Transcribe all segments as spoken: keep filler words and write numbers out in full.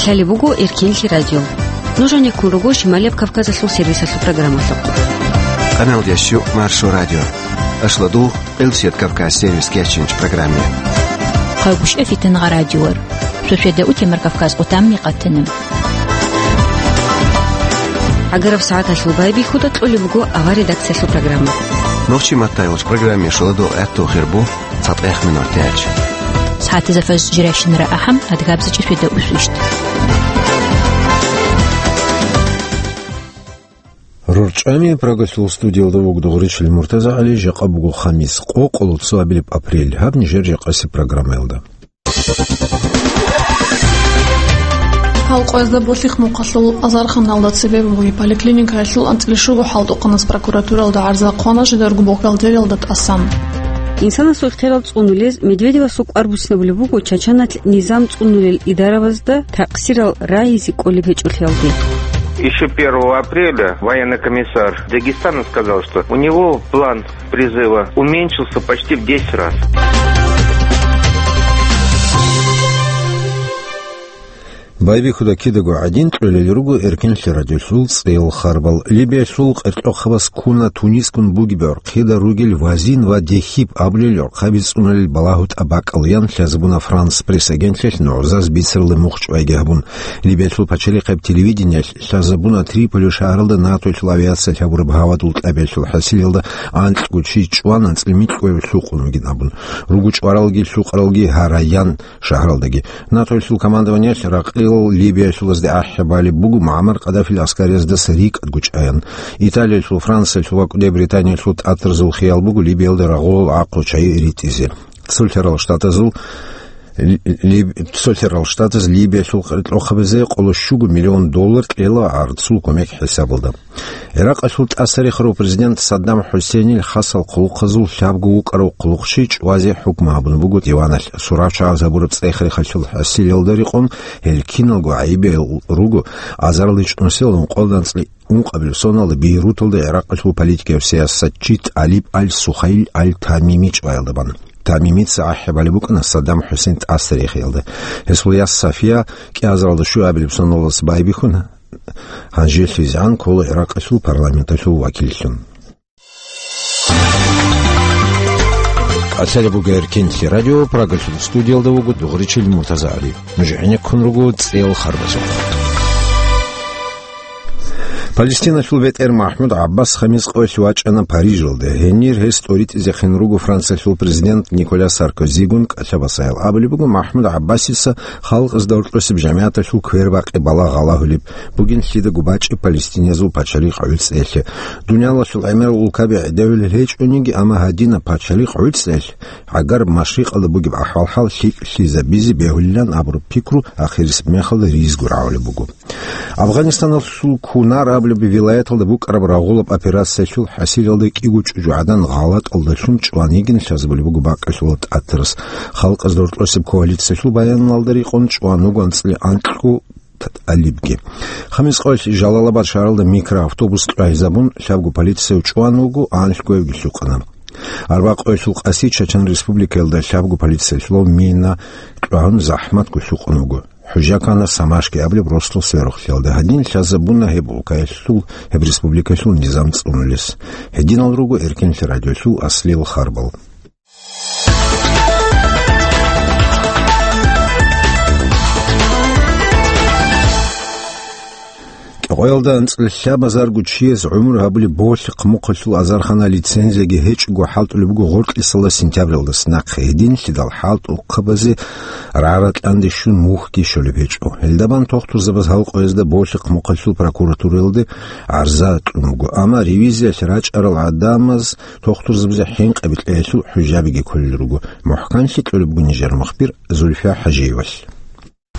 Лъалеб буго Эркенлъи радио. Нуж гьанеккун руго Шималияб Кавказалъул сервисалъул программалъухъ. Къаналда щук Маршо радио. Ашладугъ Элсият Кавказ сервис кечинч программе. Хъагушев Фитангъа радиор. Суседа утемар Кавказ къутамми къатана. Агараб сагӀаталъул байбихьуда кьолеб буго авар редакциялъул программа. Нохчи маттайгъуч программе шуладу гӀатту хирбу цатӀех минутач. СагӀатизафаз жиращинара ахӀам адгабзачи суседа усвищт. РорчӀами Прагалъул студиялда вугдугъричил МуртазагӀали, жакъа буго хамис, къокъоло цоабилеб апрель. Гьаб нижер жакъаси программаялда. Халкъоязда Болъихъ мухъалъул азарханалда цебе бугеб поликлиникаялъул анцӀила щуго хӀалтӀухъанас прокуратуралда гӀарза хъвана жидарго бухгалтериялда тӀасан. Инсанасул ихтияр цӀунулез Медведевасул кӀвар буцинабулеб буго Чачаналъ низам цӀунулел идаравазда такъсирал рагьизе кӀолеб гьечӀолъиялде. Еще первого апреля военный комиссар Дагестана сказал, что у него план призыва уменьшился почти в десять раз. Байбихьуда кидаго гӀадин, кьолел руго Эркенлъи радиолъул цӀел харбал. Либиялъул къеркьохъабаз ккуна Тунискун бугеб гӀорхъида ругел Вазин ва Дехиб абулел гӀорхъаби цӀунулел балагьу тӀабакӀал ян лъазабуна Франс пресс-агентлъиялъ нугӀзаз бицаралде мухчӀвайги гьабун. Либиялъул пачалихъаб телевидениялъ лъазабуна Триполи шагьаралда НАТОялъул авиация лъабураб гьавадул тӀабиялъул хӀасилалда анкьго чи чӀван анцӀила микьго лъукъун вугин абун. Руго чӀваралги лъукъаралги гьараян шагьаралдаги. НАТОялъул командованиялъ ракъилал Либиялъулазде ахӀи балеб буго МугӀаммар Къаддафил аскариязда рикӀкӀад гучӀаян. Италиялъул, Франциялъул ва кӀудияй Британиялъул тӀатарзул хиял буго Либиялда рагъулал гӀахъу чагӀи ритӀизе. Цолъарал Штатазул Либ-, Цолъарал Штатаз Либиялъул къеркьохъабазе къоло щуго миллион доллар кьела гӀарцул кумек хӀисабалда. ГӀиракъалъул тӀасарихарав президент Саддам ХӀусейнил хасал хъулухъазул лъабго вукӀарав хъулухъчи чӀвазе хӀукму гьабун буго диваналъ. Сурачагъаз гьабураб цӀех-рехалъул хӀасилалда рекъон гьел киналго гӀайибиял руго азарилда чӀунусиялда ункъоялда анцӀила ункъабилеб соналда Бейруталда гӀиракъалъул политикияв сиясатчи ТӀалиб аль-Сухайл аль-Тамими чӀваялда бан. Тамимица ахӀи балеб букӀана Саддам ХӀусейн тӀасарихиялда. Гьесул яс Сафия кӀиазаралда щуабилеб соналдаса байбихьун, гьанжелъизегӀан ккола ГӀиракъалъул парламенталъул вакиллъун. КӀалъалеб буго Эркенлъи радио, Прагалъул студиялда вуго дугъричил МуртазагӀали. Нуж гӀенеккун руго цӀел харбазухъ. Палестиналъул бетӀер МахӀмуд ГӀаббас хамис къоялъ вачӀана Парижалде. Гьенир гьес тӀоритӀизехъин руго Франциялъул президент Николя Саркозигун кӀалъа-басаял. Абулеб буго, МахӀмуд ГӀаббасица халкъазда гьоркьосеб жамигӀаталъул квербакъи балагь гъалагьулеб бугин лъидаго бачӀеб палестиниязул пачалихъ гӀуцӀиялъе. Дуниялалъул гӀемерал улкаби гӀедегӀулел гьечӀониги, амма гьадинаб пачалихъ гӀуцӀиялъ гӀагараб машрикъалда бугеб ахӀвал-хӀал лъикӀлъизабизе бегьулилан абураб пикру ахирисеб мехалда ризго рагӀулеб буго. Афганистаналъул Кунар абулеб вилаяталда букӀараб рагъулаб операциялъул хӀасилалда кӀиго чӀужугӀадан гъалатӀалдалъун чӀван йигин лъазабулеб буго бакӀалъулаб тӀатарас. Халкъазда гьоркьосеб коалициялъул баяналда рекъон чӀван вуго анцӀила анкьго тӀалибги. Хамис къоялъ Жалалабад шагьаралда микроавтобус кьвагьизабун, лъабго полицияв чӀван вуго, анлъгоявги лъукъана. Арба къоялъул къаси Чачан Республикаялда лъабго полициялъулав мина кьвагьун захӀматго лъукъун вуго. ХӀужа ккана Самашки абулеб росдал сверухълъиялда. Гьадин лъазабуна гьеб улкаялъул, гьеб республикаялъул низам цӀунулес. Гьединал руго Эркенлъи радиолъул аслиял харбал. КӀикъоялда анцӀила лъабазарго чияс гӀумру гьабулеб Болъихъ мухъалъул азархана лицензияги гьечӀого хӀалтӀулеб буго гъоркьисала сентябралдаса нахъе. Гьединлъидал хӀалтӀухъабазе рара-кьанде щун мухьги щолеб гьечӀо. Гьелдабан тухтурзабаз гьал къоязда Болъихъ мухъалъул прокуратураялде гӀарза кьун буго, амма ревизиялъ рачӀарал гӀадамаз тухтурзабазе хӀинкъаби кьеялъул хӀужабиги кколел руго. МухӀканлъи кьолеб буго нижер мухбир Зульфия ХӀажиевалъ.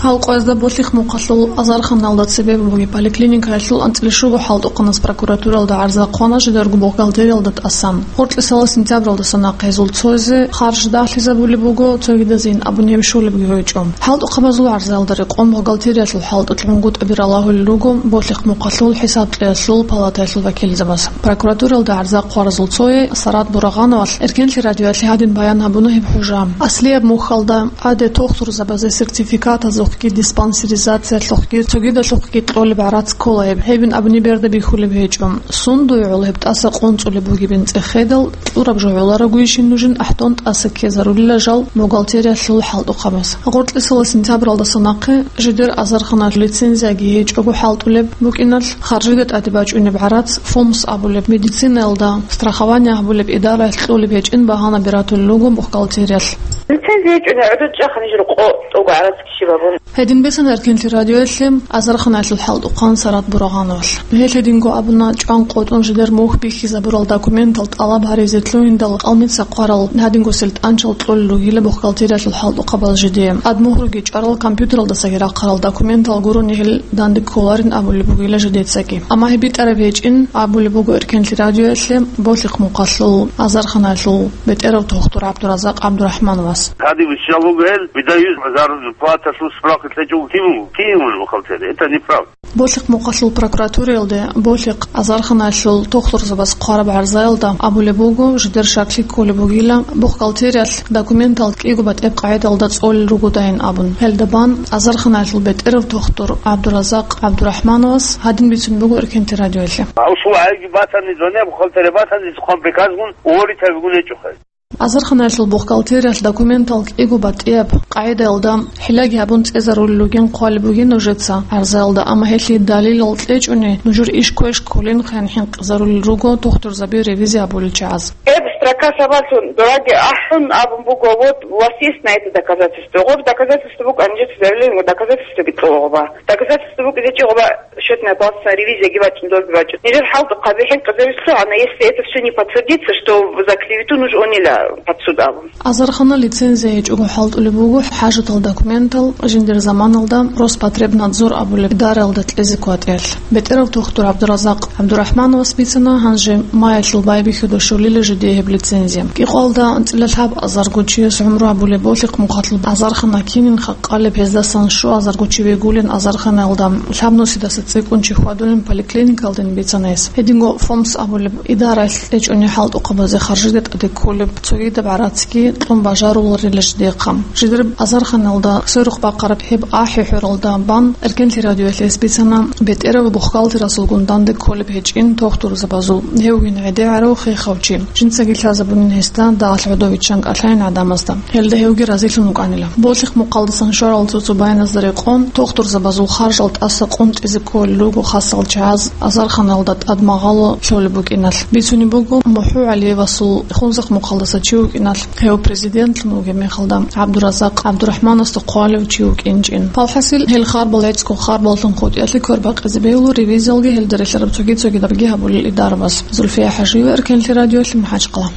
Гьал къоязда Болъихъ мухъалъул азарханалда цебе бугеб поликлиникаялъул анцӀила щуго хӀалтӀухъанас прокуратуралда гӀарза хъвана жидарго бухгалтериялда тӀасан. Гъоркьисала сентябралдаса нахъе гьезул цоязе харж дагьлъизабулеб буго, цогидазейин абун гьеб щолебги гьечӀо. ХӀалтӀухъабазул гӀарзаялда рекъон бухгалтериялъул хӀалтӀулъ гӀунгутӀаби ралагьулел руго Болъихъ мухъалъул хӀисаблъиялъул палатаялъул вакилзабаз. Прокуратуралда гӀарза хъваразул цое Сарат Бурагъановалъ Эркенлъи радиоялъе гьадин баян гьабуна гьеб хӀужа. Аслияб мухьалда гӀаде тухтурзабазе сертификатазухъ Диспансеризациялъухъги цогидалъухъги кьолеб гӀарац ккола гьеб. Гьебин абуни берда бихьулеб гьечӀо. Сундуй гӀоло гьеб тӀаса къунцӀулеб бугебин цӀехедал, кьураб жо гӀоларогойищин нужин ахӀдон тӀаса ккезарулила жал бухгалтериялъул хӀалтӀухъабаз. Гъоркьисала сентябралдаса нахъе жидер азарханалъул лицензияги гьечӀого хӀалтӀулеб букӀиналъ, харжида тӀаде бачӀунеб гӀарац, ФОМС абулеб, медицинаялда страхование гьабулеб идараялъ кьолеб гьечӀин багьанаби ратулел руго бухгалтериялъ. Лицензия гьечӀони гӀодов чӀаха нижер къо тӀуго гӀарац кири бабун. Гьедин бицана Эркенлъи радиоялъе азарханалъул хӀалтӀухъан Сарат Бурагъановалъ. Гьелъ гьединго абуна, чӀван къотӀун жидер мухь бихьизабурал документал тӀалаб гьаризе лъугьиндал, къалмица хъварал гьадинго сельтӀанчал кьолел ругила бухгалтериялъул хӀалтӀухъабаз жидее. Ад мухьруги чӀварал компьютералдасаги рахъарал документал гурони гьел данде кколарин абулеб бугила жидецаги. Амма гьеб битӀараб гьечӀин абулеб буго Эркенлъи радиоялъе Болъихъ мухъалъул азарханалъул бетӀерав тухтур ГӀабдуразакъ ГӀабдурахӀмановас. Гьадин виччал вуго гьел, видаюз азар зарплаталъул справка лъечӀого кин вуго, кин вуго бухгалтер. Это неправда. Болъихъ мухъалъул прокуратураялде Болъихъ азарханалъул тухтурзабаз хъвараб гӀарзаялда абулеб буго, жидер щаклъи кколеб бугила, бухгалтериялъ документал кӀиго батӀияб къагӀидалда цӀолел ругодайин абун. Гьелда бан азарханалъул бетӀерав тухтур ГӀабдуразакъ ГӀабдурахӀмановас гьадин бицун буго Эркенлъи радиоялъе. Гьав шул гӀайги батани, зоне бухгалтерия батани, цӀухъан приказгун уволить гьабигун гьечӀо хай. Азарханалъул бухгалтериялъ документал кӀиго батӀияб къагӀидаялда хӀиллаги гьабун цӀезарулел ругин хъвалеб бугин нужеца гӀарзаялда, амма гьелъие далилал кьечӀони, нужер иш квеш кколин хъен хӀинкъизарулел руго тухтурзаби ревизия гьабулел чагӀаз. Эб строка сабаблъун дораги ахӀун абун буго, вот, у вас есть на это доказательство. Гъоб доказательство букӀан, жеца заявление, доказательствоги кьо гъоба. Доказательство букӀизе чи гъоба счётная палатаца ревизияги бачӀун, долги бачӀун. Нижер хӀалтӀухъаби хӀинкъизарилъугьана, если это всё не подтвердится, что за клевету нуж онила под суд абун. Азархана лицензия гьечӀого хӀалтӀулеб буго хӀажатал документал жиндир заманалда Роспотребнадзор абулеб идараялда кьезе кватӀиялъ. БетӀерав тухтур ГӀабдуразакъ ГӀабдурахӀмановас бицана, гьанже маялъул байбихьуда щолила жидее гьеб лицензия. КӀикъоялда анцӀила лъабазарго чияс гӀумру гьабулеб Болъихъ мухъалъул азархана кинин халкъалеб, гьездасан щуазарго чи вегулин азарханаялда, лъабнусидаса цӀикӀкӀун чи хьвадулин поликлиникалдин бицана гьес. Гьединго ФОМС абулеб идараялъ кьечӀони хӀалтӀухъабазе харжида тӀаде кколеб цогидаб гӀарацги кьун бажаруларила жидехъа. Жидер азарханалда сверухъ бахъараб гьеб ахӀи-хӀуралда бан Эркенлъи радиоялъ гьес бицана бетӀерав бухгалтерасулгун данде кколеб гьечӀин тухтурзабазул, гьевгин гӀедегӀарав хехав чи. Жинцаги лъазабунин гьесда дагьалъ гӀодов виччан кӀалъайин гӀадамазда. Гьелда гьевги разилъун вукӀанила. Болъихъ мухъалдасан щварал цо-цо баяназда рекъон, тухтурзабазул харжал тӀаса къунтӀизе кколел руго хасал чагӀаз азарханалда тӀад магъало лъолеб букӀиналъ. Бицунеб буго, МухӀу ГӀалиевасул Хунзахъ мухъалдаса чи вукӀиналъ, гьев президентлъун вугеб мехалда ГӀабдуразакъ ГӀабдурахӀмановасда хъвалев чи вукӀинчӀин. Палхасил гьел харбал гӀецӀго харбаллъун хутӀиялъе квербакъизе бегьула ревизиялги гьелда релълъараб цоги-цогидабги гьабулел идарабаз. Зульфия ХӀажиева, Эркенлъи радиоялъе, МахӀачхъала.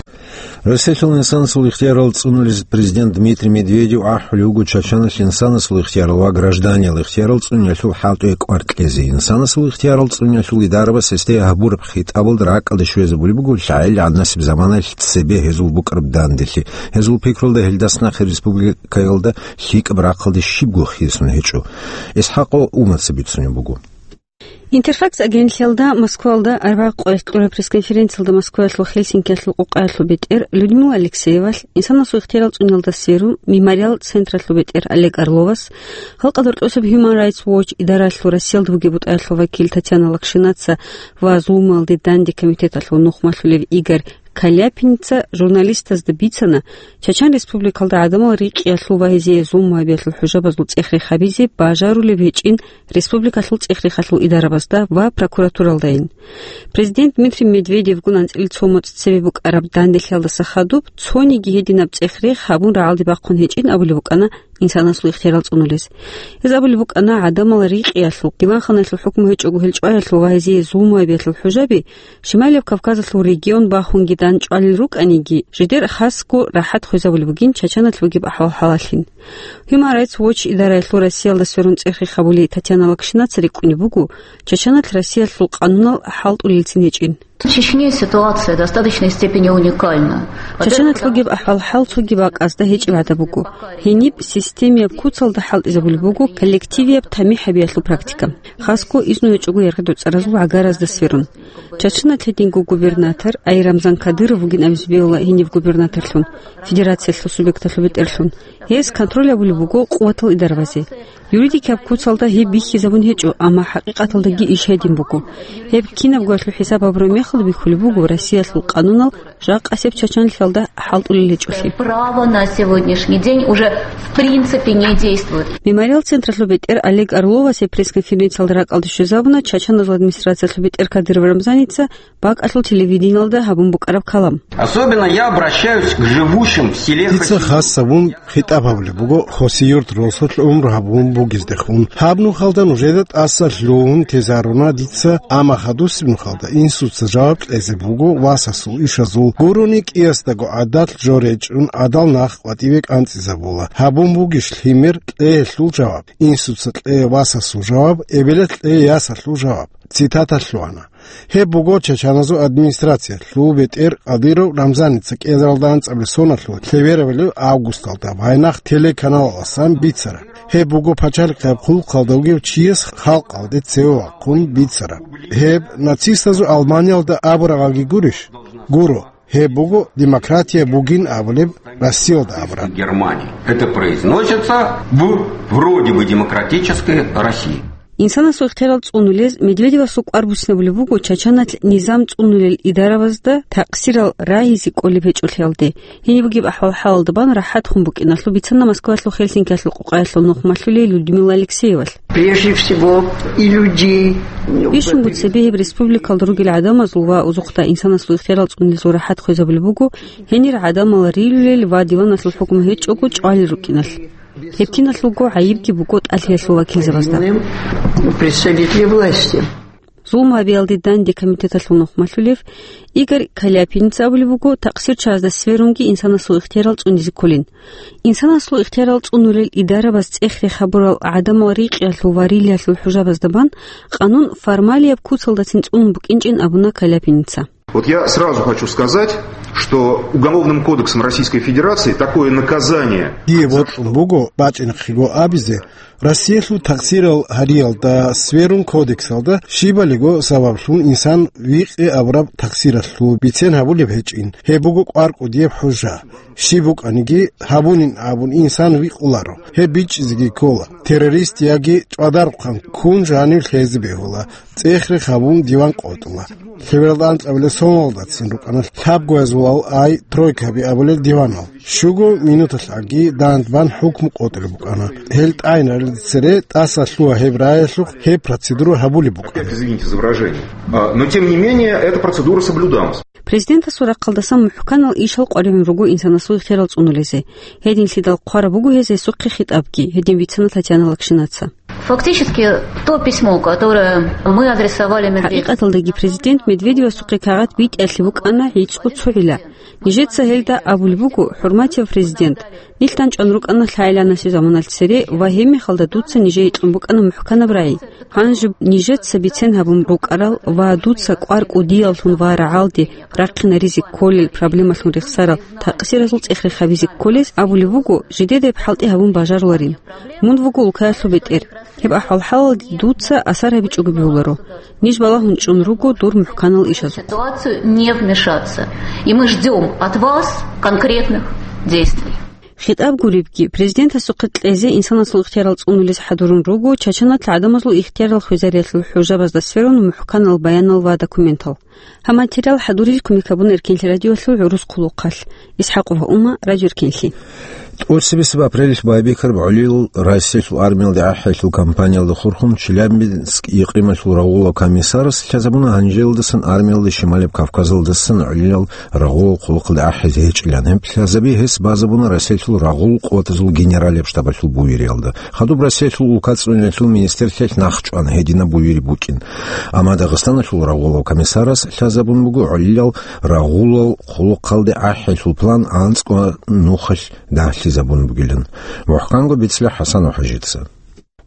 Россиялъул инсанасул ихтиярал цӀунулез президент Дмитрий Медведев ахӀулев вуго Чачаналъ инсанасул ихтиярал ва гражданиял ихтиярал цӀуниялъул хӀалтӀуе кӀвар кьезе. Инсанасул ихтиярал цӀуниялъул идарабас гьесде гьабураб хитӀабалда ракӀалде щвезабулеб буго лъагӀел гӀаднасеб заманаялъ цебе гьезул букӀараб данделъи. Гьезул пикрулда гьелдас нахъе республикаялда лъикӀаб рахъалде щибго хисун гьечӀо. ИсхӀакъ Умаца бицунеб буго. Интерфакс агентлъиялда Москваялда арбагъ къоялъ кьураб пресс-конференциялда Москваялъул Хельсинкиялъул къукъаялъул бетӀер Людмила Алексеевалъ, инсанасул ихтиярал цӀуниялда сверун, Мемориал централъул бетӀер Олег Орловас, халкъалда рокьосеб Human Rights Watch идаралъул Россиялда бугеб бутӀаялъул вакил Татьяна Локшинаца ва зулмуялде данде комитеталъул нухмалъулев Игорь Каляпинца журналистазда бицана, Чачан Республикалда гӀадамал рикъиялъул ва гьезие зулму гьабиялъул хӀужабазул цӀех-рех гьабизе бажарулеб гьечӀин республикалъул цӀех-рехалъул идарабазда ва прокуратуралдайин. Президент Дмитрий Медведевгун анцӀила цо моцӀ цебе букӀараб данделъиялдаса хадуб цониги гьединаб цӀех-рех гьабун рагӀалде бахъун гьечӀин абулеб букӀана инсанасул ихтиярал цӀунулез. Гьез абулеб букӀана, гӀадамал рикъиялъул, диванханаялъул хӀукму гьечӀого гьел чӀваялъул ва гьезие зулму гьабиялъул хӀужаби Шималияб Кавказалъул регион бахунги данчӀвалел рукӀаниги, жидер хасго рахӀат хвезабулеб бугин Чачаналъ бугеб ахӀвал-хӀалаллъин. Human Rights Watch идараялъул Россиялда сверун цӀех-рех гьабулей Татьяна Локшинаца рикӀкӀунеб буго, Чачаналъ Россиялъул къанунал хӀалтӀулелцин гьечӀин. В Чечне ситуация достаточной степени уникальна. Чачаналъ бугеб ахӀвал-хӀал цоги бакӀазда гьечӀеб гӀадаб буго. Гьениб системияб куцалда хӀалтӀизабулеб буго коллективияб тамихӀ гьабиялъул практика, хасго изну гьечӀого яргъи-доцӀаразул гӀагаразда сверун. Чачаналъ гьединго губернатор, ай Рамзан Кадыров вугин абизе бегьула гьенив губернаторлъун, федерациялъул субъекталъул бетӀерлъун. Гьес контроль гьабулеб буго къуватал идарабазе. Юридикаб куцалда гьеб бихьизабун гьечӀо, амма хӀакъикъаталдаги иш гьедин буго. Гьеб кинабгоялъул хӀисаб гьабураб мехалда бихьулеб буго Россиялъул къанунал жакъасеб чачанлъиялда хӀалтӀулел гьечӀолъи. Право на сегодняшний день уже в принципе не действует. Мемориал централъул бетӀер Олег Орловасе пресс-конференциялда ракӀалде щвезабуна Чачаназул администрациялъул бетӀер Кадыров Рамзаница бакӀалъул телевидениялда гьабун букӀараб калам. Особенно я обращаюсь к живущим в селе Дица Хасиюрт. Хас гьабун хитӀаб гьабулеб буго Хасиюрт росулъ гӀумру гьабун бугездехун. Гьаб нухалда нужеда тӀаса лъугьун тезаруна дица, амма хадусеб нухалда инсуца жаваб кьезе буго васасул ишазул, гурони кӀиясдаго гӀадат жо речӀун гӀадал нах къватӀиве кӀанцӀизабула. Гьабун бугищ лъимер кьеялъул жаваб, инсуца кье васасул жаваб, эбелалъ кье ясалъул жаваб? Цитата лъугьана. Гьеб буго Чачаназул администрациялъул бетӀер Кадыров Рамзаница кӀиазаралда анцӀабилеб соналъул лъеберабилеб августалда Вайнах телеканалаласан бицараб. Гьеб буго пачалихъияб хъулухъалда вугев чияс халкъалде цеве вахъун бицараб. Гьеб нацистазул Алманиялда абураб гьаги гурищ? Гуро. Гьеб буго демократия бугин абулеб Россиялда абураб. Германии. Это произносится в вроде бы демократической России. Инсанасул ихтиярал цӀунулез Медведевасул кӀвар буцинабулеб буго Чачаналъ низам цӀунулел идарабазда такъсирал рагьизе кӀолеб гьечӀолъиялде. Гьениб бугеб ахӀвал-хӀалалда бан рахӀат хун букӀиналъул бицана Москваялъул Хельсинкиялъул къукъаялъул нухмалъулей Людмила Алексеевалъ. Прежде всего, и людей. Бищунго цебе гьеб республикалда ругел гӀадамазул ва узухъда инсанасул ихтиярал цӀунилезул рахӀат хвезабулеб буго гьенир гӀадамал рилулел ва диваналъул хӀукму гьечӀого чӀвалел рукӀиналъ. Гьеб киналъулго гӀайибги буго тӀалъиялъул вакилзабазда. Представители власти. Зулму гьабиялде данде комитеталъул нухмалъулев Игорь Каляпиница абулеб буго, такъсирчагӀазда сверунги инсанасул ихтиярал цӀунизе кколин. Инсанасул ихтиярал цӀунулел идарабаз цӀех-рех гьабурал гӀадамал рикъиялъул ва рилиялъул хӀужабазда бан къанун формалияб куцалдацин цӀунун букӀинчӀин абуна Каляпиница. Вот я сразу хочу сказать, что Уголовным кодексом Российской Федерации такое наказание. Дие бокьун буго бачӀинахъего абизе, Россиялъул такъсирал гьариялда сверун кодексалда щибалиго сабаблъун инсан викъи абураб такъсиралъул бицен гьабулеб гьечӀин. Гьеб буго кӀвар кӀудияб хӀужа. Щиб букӀаниги гьабунин абун инсан викъуларо. Гьеб бичӀчӀизеги ккола. Террорист яги чӀвадарухъан ккун жанив лъезе бегьула. ЦӀех-рех гьабун диван къотӀула. Лъебералда анцӀабилеб соналдацин рукӀана лъабгоязулал ай тройкаби абулел диванал. Щуго минуталъ аги дандбан хӀукму къотӀулеб букӀана. Гьел тӀайнарел цере тӀаса лъугьа гьеб раялъухъ гьеб процедура гьабулеб букӀана. Извините за выражение. А, но тем не менее, эта процедура соблюдалась. Президентасул рахъалдасан мухӀканал ишал къваригӀун руго инсанасул ихтиярал цӀунулезе. Гьединлъидал хъвараб буго гьез гьесухъе хитӀабги, гьедин бицана Татьяна Лакшинаца. Фактически, то письмо, которое мы адресовали Медведеву. ХӀакъикъаталдаги президент Медведевасухъе кагъат битӀиялъе букӀана гӀицӀго цогӀила. Нижеца гьелда абулеб буго, хӀурматияв президент, нилъ данчӀван рукӀана лъагӀеланасе заманалъ цере ва гьебмехалда дуца нижее кьун букӀана мухӀканаб рагӀи. Гьанже нижеца бицен гьабун рукӀарал ва дуца кӀвар кӀудияллъун ва рагӀалде рахъинаризе кколел проблемалъун рехсарал такъсиразул цӀех-рех гьабизе кколез абулеб буго, жидеда гьеб хӀалтӀи гьабун бажаруларин. Мун вуго улкаялъул бетӀер. Гьеб ахӀвал-хӀалалде дуца асар гьабичӀого бегьуларо. Ниж балагьун чӀун руго дур мухӀканал ишазухъ. Ситуацию не вмешаться. И мы ждём от вас конкретных действий. ХитӀаб гуребги, президентасухъе кьезе инсанасул ихтиярал цӀунулез хӀадурун руго Чачаналъ гӀадамазул ихтиярал хвезариялъул хӀужабазда сверун мухӀканал баянал ва документал. Гьаб материал хӀадурил кумек гьабуна Эркенлъи радиоялъул гӀурус хъулухъалъ. ИсхӀакъова Ума, Радио Эркенлъи. ТӀоцебесеб апрелалъ байбихьараб гӀолилал Россиялъул армиялде ахӀиялъул кампаниялда хурхун Челябинск икърималъул рагъулав комиссарас лъазабуна гьанжелдасан армиялда Шималаб Кавказалдасан гӀолилал рагъулал хъулухъалде ахӀизе гьечӀилан. Гьеб лъазаби гьес базабуна Россиялъул рагъул къуватазул генералияб штабалъул буюриялда. Хадуб Россиялъул улка цӀуниялъул министрлъиялъ нахчӀван гьединаб буюри букӀин. Амма Дагъистаналъул рагъулав комиссарас лъазабун буго гӀолилал рагъулал хъулухъалде ахӀиялъул план анцӀго нухалъ дагьлъизабун бугилан. МухӀканго бицла ХӀасанов ХӀажица.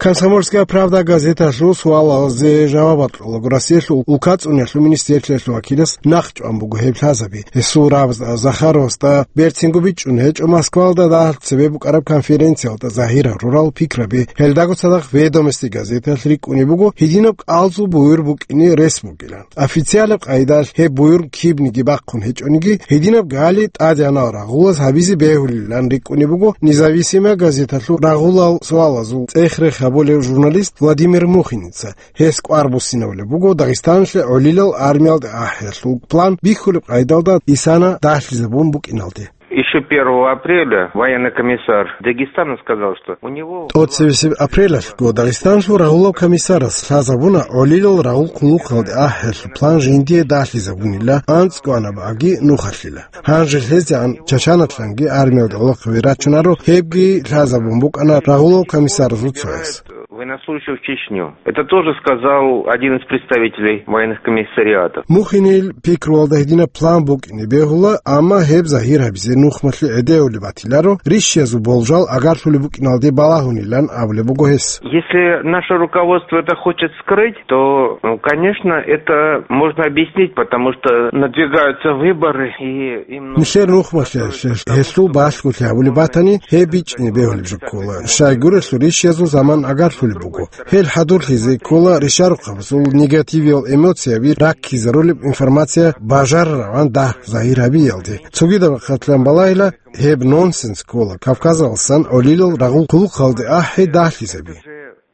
«Комсомольская правда» газеталъул суалалзе жаваб кьолаго Россиялъул улка цӀуниялъул министрлъиялъул вакилас нахчӀван буго гьеб лъазаби. Гьесул рагӀабазда Захаровасда берцинго бичӀчӀун гьечӀо Москвалда дагьалъ цебе букӀараб конференциялда загьир гьарурал пикраби. Гьелдаго цадахъ «Ведомости» газеталъ рикӀкӀунеб буго гьединаб кӀалзул буюр букӀине рес бугилан. Официалаб къайдалъ гьеб буюр кибниги бахъун гьечӀониги, гьединаб гали тӀадегӀанал рагъулаз гьабизе бегьулилан рикӀкӀунеб буго «Независимая» газеталъул рагъулал суалазул цӀех-рех волев журналист Владимир Мухиница. Гьес кӀвар буссинавулеб буго Дагъистаналъе гӀолилал армиялде ахӀиялъул план бихьулеб къайдалда исана дагьлъизабун букӀиналде. Ещё первого апреля военный комиссар Дагестана сказал, что у него... ТӀоцебесеб апрелалъго Дагъистаналъул рагъулав комиссарас лъазабуна гӀолилал рагъул хъулухъалде ахӀиялъул план жиндие дагьлъизабунила анцӀгоанаб аги нухалъила. Гьанже лъезегӀан Чачанатлъанги армиялде гӀолохъаби рачунаро, гьебги лъазабун букӀана рагъулав комиссарасул цояс. Военнослужащих в Чечню. Это тоже сказал один из представителей военных комиссариатов. Мухинил пикруялда гьединаб план букӀине бегьула, амма гьеб загьир гьабизе нухмалъи гӀедеулеб батиларо, рищиязул болжал агарлъулеб букӀиналде балагьунилан абулеб буго гьес. Если наше руководство это хочет скрыть, то, ну, конечно, это можно объяснить, потому что надвигаются выборы, и им нужно... Нилъер нухмалъиялъе гьелъул балъголъи гьабулеб батани, гьеб бичӀчӀине бегьулеб жо ккола. Щайгурелъул рищиязул заман агарлъулеб буго. Гьел хӀадурлъизе ккола ришарухъабазул негативиял эмоцияби раккизарулеб информация бажарараван дагь загьир гьабиялде. Цогидаб рахъалъан балагьила, гьеб нонсенс ккола Кавказалдасан гӀолилал рагъул хъулухъалде ахӀи дагьлъизаби.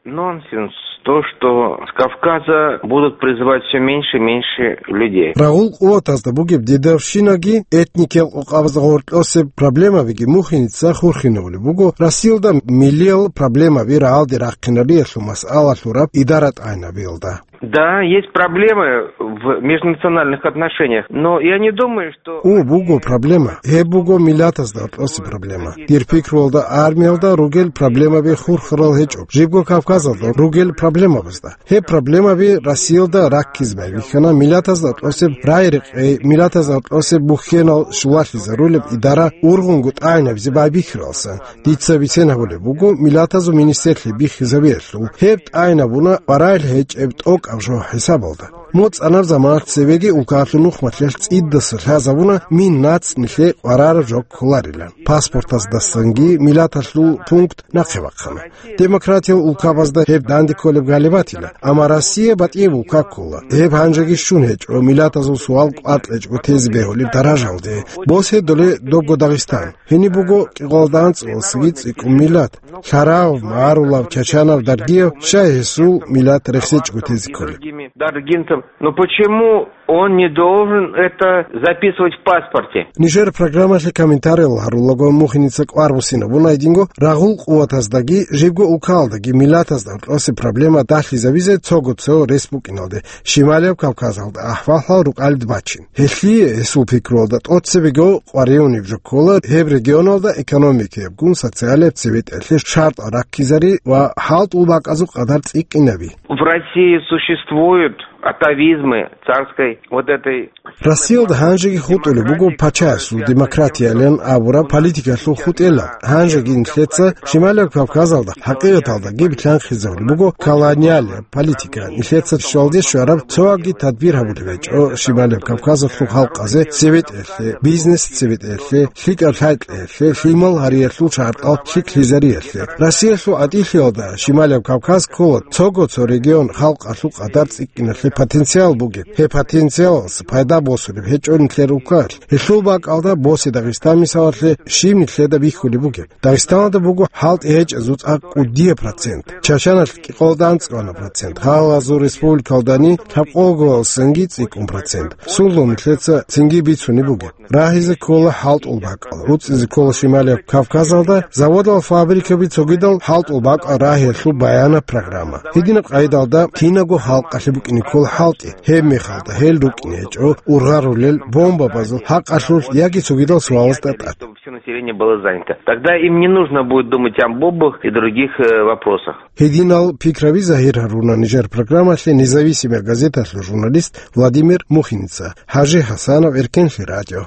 Нонсенс то, что с Кавказа будут призывать всё меньше и меньше людей. Рагъул къуватазда бугеб дидавщинаги, этникиял къокъабазда гъоркьосеб проблемабиги Мухиница хурхинавулеб буго, Россиялда миллиял проблемаби рагӀалде рахъинариялъул масъала лъураб идара тӀагӀинабиялда. Да, есть проблемы в межнациональных отношениях, но я не думаю, что... О, буго проблема. Гьеб буго миллатазда гьоркьосеб проблема. Дир пикруялда, армиялда ругел проблемаби хурхарал гьечӀо, жибго Кавказалда ругел проблемабазда. Гьеб проблемаби Россиялда раккизе байбихьана миллатазда гьоркьосеб рагӀи-рекъей, миллатазда гьоркьосеб бухьенал щулалъизарулеб идара ургъунго тӀагӀинабизе байбихьаралсан. Дица бицен гьабулеб буго миллатазул министрлъи бихьизабиялъул. Гьеб тӀагӀинабуна къваригӀел гьечӀеб тӀокӀаб жо хӀисабалда. МуцӀанаб заманалъ цевеги улкаялъул нухмалъиялъ цӀидаса лъазабуна мин нацӀ нилъее къварараб жо кколарилан. Паспортаздасанги миллаталъул пункт нахъе бахъана. Демократиял улкабазда гьеб данде кколеб гьалеб батила, амма Россия батӀияб улка ккола. Гьеб гьанжеги щун гьечӀо, миллатазул суал кӀватӀ гьечӀо тезе бегьулеб даражалде. Босизе доле добго Дагъистан. Гьениб буго кӀикъоялда анцӀгоялдасаги цӀикӀкӀун миллат: лъарав, магӀарулав, чачанав, даргияв, щай гьесул миллат рехсечӀого тезе кколеб? Даргинцев. Но почему он не должен это записывать в паспорте? Нижер программалъе комментариял гьарулаго Мухиница кӀвар буссинабуна гьединго рагъул къуватаздаги жибго улкаялдаги миллатазда гьоркьосеб проблема дагьлъизабизе цого-цо рес букӀиналде. Щималияб Кавказалда ахӀвал-хӀал рукӀалде бачин. Гьелъие, гьесул пикруялда, тӀоцебего къваригӀунеб жо ккола гьеб регионалда экономикаябгун социалияб цебетӀерлъи шартӀал раккизари ва хӀалтӀул бакӀазул къадар цӀикӀкӀинаби. В России существуют атавизмы царской вот этой... Россиялда гьанжеги хутӀулеб буго пачаясул демократиялъан абураб политикалъул хутӀелал. Гьанжеги нилъеца Щималияб Кавказалда хӀакъикъаталдаги билълъанхъизабулеб буго колониалияб политика. Нилъеца щвалде щвараб цоги тадбир гьабулеб гьечӀо Щималияб Кавказалъул халкъазе цебетӀерлъи, бизнес цебетӀерлъи, лъикӀаб лъай-кьеялъе, лъимал гьариялъул шартӀал лъикӀлъизариялъе. Россиялъул гӀатӀилъиялда Щималияб Кавказ ккола цого-цо регион халкъалъул къадар цӀикӀкӀиналъе потенциал бугеб. Гьеб потенциалалъ пайда босулеб гьечӀо нилъер улкаялъ. Гьелъул бакӀалда босе Дагъистан мисалалъе щиб нилъеда бихьулеб бугеб. Дагъистаналда буго хӀалтӀи гьечӀезул цӀакъ кӀудияб процент, Чачаналъ кӀикъоялда анцӀгоана процент, гьалазул республикалдани лъабкъоялдасанги цӀикӀкӀун процент. Сунлъун нилъеца цинги бицунеб бугеб. Рагьизе ккола хӀалтӀул бакӀал, руцӀцӀизе ккола Щималияб Кавказалда заводал, фабрикаби цогидал хӀалтӀул бакӀал рагьиялъул баянаб программа. Гьединаб къайдалда кинабго халкъалъе букӀине ккола хӀалтӀи, гьеб мехалда гьел рукӀине гьечӀо ургъарулел бомбабазул хӀакъалъулъ яги цогидал суалазда тӀад. Чтобы всё население было занято. Тогда им не нужно будет думать о бомбах и других, э, вопросах. Гьединал пикраби загьир гьаруна нижер программалъе «Независимая газеталъул» журналист Владимир Мухиница. ХӀажи ХӀасанов, Эркенлъи радио.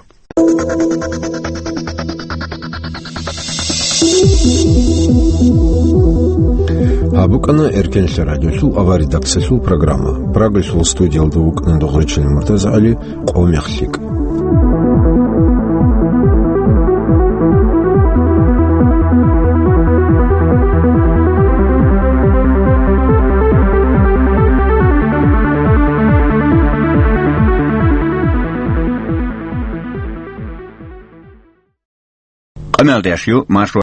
Гьаб букӀана Эркенлъи радиолъул авария даксалъул программа. Прагайсул студиялда вукӀана Догъричилан МуртазагӀали. Къо мехлъик. Къамелдеш ю Маршо